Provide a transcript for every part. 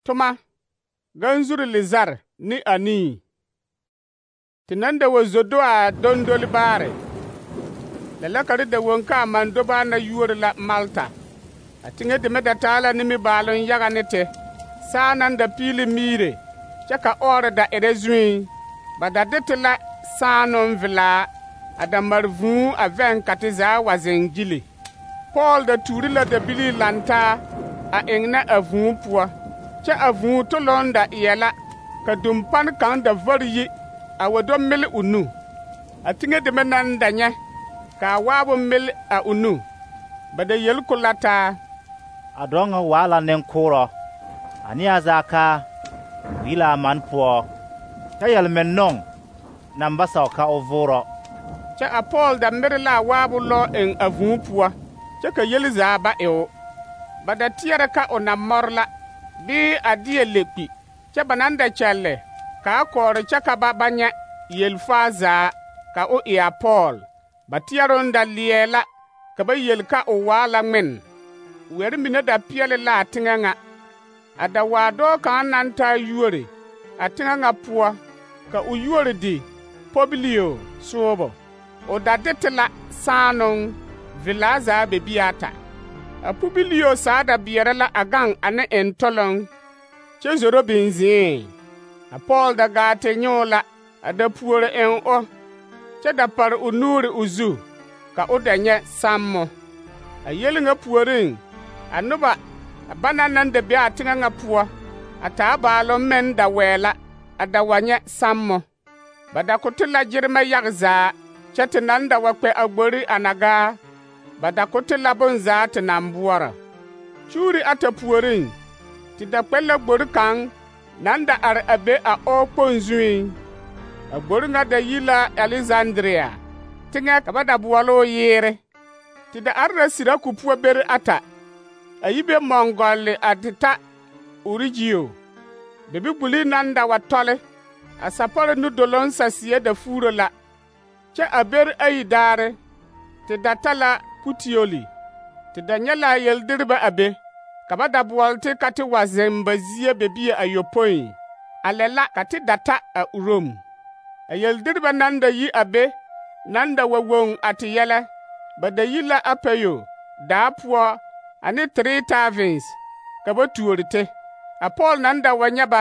Toma, ganzuri lizar ni anii. Ti nan da wa zodo a dondoli baare. Lalakari da wonka a mandoba na yuori la Malta. A tiŋe deme da taa la nimi baalon yaga ne te. Saa nan da piili miire, kyɛ ka ɔɔre da erɛ zuiŋ. Ba da de te la saanoŋ velaa, a da mare vūū a vɛŋ ka te zaa wa zeŋ gili. Pɔɔl da tuuri la dabilii lantaa a eŋnɛ a vūū poɔ, kyɛ a vūū toloŋ da eɛ la, ka dumpan kaŋ da vare yi a wa do mele o nu. A tiŋe deme naŋ da nyɛ, ka a waabo mele a o nu. Ba da yeli ko la taa: A dɔɔ ŋa waa la nenkoorɔ, a neɛ zaa ka o yi la a man poɔ, kyɛ yɛlmeŋnoŋ naŋ ba sao ka o voorɔ. Kyɛ a Pɔɔl da mere la a waabo lɔ eŋ a vūū poɔ, kyɛ ka yeli zaa ba e o. Ba da teɛrɛ ka o na mɔre la, bee a deɛ le kpi, kyɛ ba naŋ da kyɛlle ka a kɔɔre kyɛ ka ba nyɛ yelfaa zaa ka o e a Pɔɔl. Ba teɛroŋ da leɛ la ka ba yeli ka o waa la ŋmen. Wɛre mine da peɛle la a teŋɛ ŋa. A da waa dɔɔ kaŋ naŋ taa yuori a teŋɛ ŋa poɔ, ka o yuori di Pobilio soobo. O da de te la saanoŋ velaa zaa bebiata. A Pobilio saa da beɛrɛ la a gaŋ ane entɔloŋ, kyɛ zoro binzii. A Pɔɔl da gaa te nyoo la a da puori eŋ o, kyɛ da pare o nuuri o zu, ka o da nyɛ sammo. A yeli ŋa puoriŋ, a noba bana naŋ da be a teŋɛ ŋa poɔ, a taa baaloŋ meŋ da wɛɛ la, a da wa nyɛ sammo. Ba da ko te la gyeremɛ yage zaa, kyɛ te naŋ da wa kpɛ a gbori a na gaa, ba da ko te la bonzaa te naŋ boɔrɔ. Kyuuri ata puoriŋ, te da kpɛ la gbori kaŋ naŋ da are a be a ɔɔkpoŋ zuiŋ. A gbori ŋa da yi la Alexandria, teŋɛ ka ba da boɔle o Yeere. Te da are la Siraku poɔ bere ata, a yi be mɔŋgɔlle a te ta Origio. Bebiguli naŋ da wa tɔle, a sapɔre nudoloŋ saseɛ da fuuro la, kyɛ a bere ayi daare, te da ta la Putioli. Te da nyɛ la a yeldiribɛ a be, ka ba da boɔle te ka te wa zeŋ ba zie bebie ayopoi. A lɛ la ka te da ta a Urom. A yeldiribɛ naŋ da yi a be, naŋ da wa woŋ a te yɛlɛ, ba da yi la Apayo daa poɔ ane Tiretavens ka ba tuori te. A Pɔɔl naŋ da wa nyɛ ba,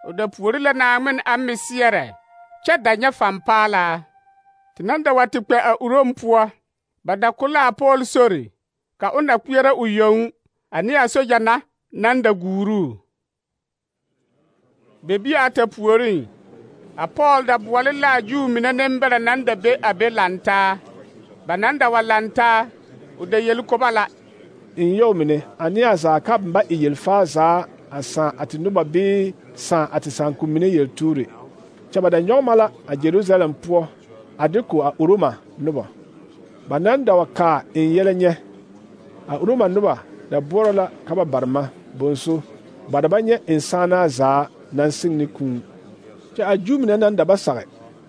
o da puori la Naawmin a meseɛrɛ, kyɛ da nyɛ fampaalaa. Te naŋ da wa te kpɛ a Urom poɔ, ba da ko la a Pɔɔl sori, ka o na kpeɛrɛ o yoŋ ane a soja na naŋ da guuruu. Bebie ata puoriŋ, a Pɔɔl da boɔle la a Juu mine nembɛrɛ naŋ da be a be lantaa. Ba naŋ da wa lantaa, o da yeli ko ba la: In yau mine, a neɛ zaa ka ba e yelfaa zaa a sãã a te noba bee sãã a te sããkun mine yeltuure. Kyɛ ba da nyɔge ma la a Jerusalem poɔ a de ko a Uroma noba. Ba naŋ da wa kaa in yɛlɛ nyɛ. A Uroma noba da boɔrɔ la ka ba bare ma bonso, ba da ba nyɛ in sããnaa zaa naŋ seŋ ne kūū. Kyɛ a Juu mine naŋ da ba sage,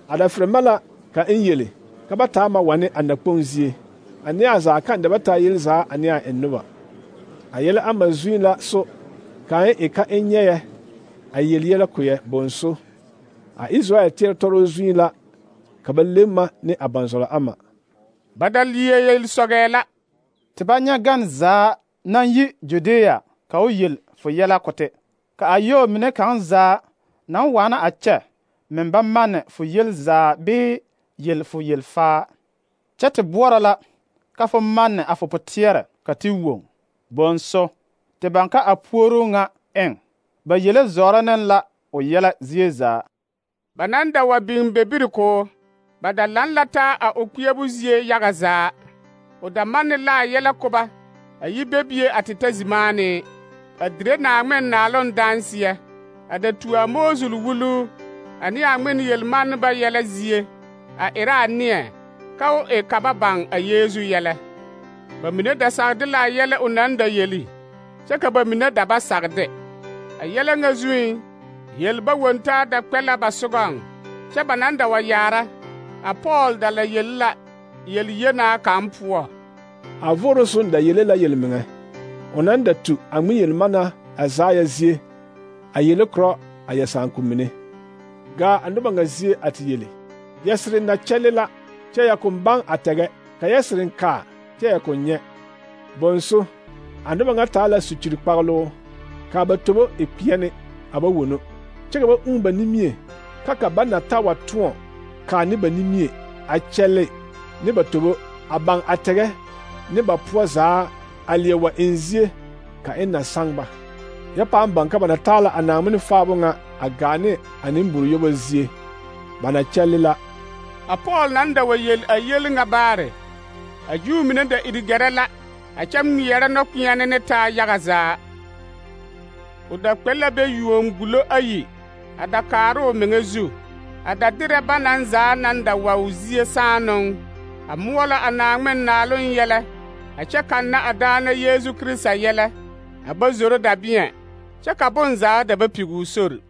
a da ferɛ ma la ka in yele ka ba taa ma wane a nakpoŋ zie. A neɛ zaa kaŋ da ba taa yel zaa a neɛ en noba. A yɛlɛ ama zuiŋ la so, ka in e ka in nyɛɛ a yel yɛlɛ koyɛ bonso. A Israel teɛ tɔrɔ zuiŋ la ka ba le ma ne a banzɔlɔ ama. Ba da lie yel sɔgɛɛ la: Te ba nyɛ gan zaa naŋ yi Judea ka o yel fo yɛlɛ ko te. Ka a yɔɔ mine kaŋ zaa naŋ waana a kyɛ meŋ ba manne fo yel zaa bee yel fo yelfaa. Kyɛ te boɔrɔ la ka fo manne a fo poteɛrɛ ka te woŋ. Bonso, te baŋ ka a puoruu ŋa eŋ, ba yele zɔɔrɔ ne la o yɛlɛ zie zaa. Ba naŋ da wa biŋ bebiri ko, ba da laŋ la taa a o kpeɛbo zie yaga zaa. O da manne la a yɛlɛ ko ba, a yi bebie a te ta zimaanee, a dire Naawmin naaloŋ danseɛ, a da tu a Moosul wuluu ane a ŋmen yelmanneba yɛlɛ zie, a erɛ a neɛ ka o e ka ba baŋ a Yeezu yɛlɛ. Ba mine da sagde la a yɛlɛ o naŋ da yeli, kyɛ ka ba mine da ba sagde. A yɛlɛ ŋa zuiŋ, yelba wontaa da kpɛ la ba sogɔŋ, kyɛ ba naŋ da wa yaara, a Pɔɔl da la yeli la yel yenaa kaŋ poɔ. A voroson da yele la yelmeŋɛ. O naŋ da tu a ŋmen yelmanna a Azaya zie, a yele korɔ a yɛ sããko mine. Gaa a noba ŋa zie a te yele: yɛsere na kyɛle la, kyɛ yɛ koŋ baŋ a tɛgɛ, ka yɛsere kaa, kyɛ yɛ koŋ nyɛ. Bonso, a noba ŋa taa la sukyiri kpagloo, kaa ba tobo e kpeɛne a ba wono, kyɛ ka ba ũũ ba nimie, ka ba na ta wa tõɔ kaa ne ba nimie a kyɛle ne ba tobo, a baŋ a tɛgɛ ne ba poɔ zaa a leɛ wa eŋ zie ka eŋ na saŋ ba. Yɛ paaŋ baŋ ka ba na taa la a Naaŋmen faabo ŋa a gaa ne a nemboro-yobo zie. Ba na kyɛle la. A Pɔɔl naŋ da wa yel a yel ŋa baare, a Juu mine da iri gɛrɛ la, a kyɛ ŋmeɛrɛ nɔkpeɛne ne taa yaga zaa. O da kpɛ la be yuon gulo ayi a da kaara o meŋa zu, a da derɛ ba naŋ zaa naŋ da wa o zie saanoŋ, a moɔlɔ a Naaŋmen naaloŋ yɛlɛ, a kyɛ kanna a daana Yeezu Kirista yɛlɛ, a ba zoro dabeɛ, kyɛ ka bonzaa da ba pigi o sori.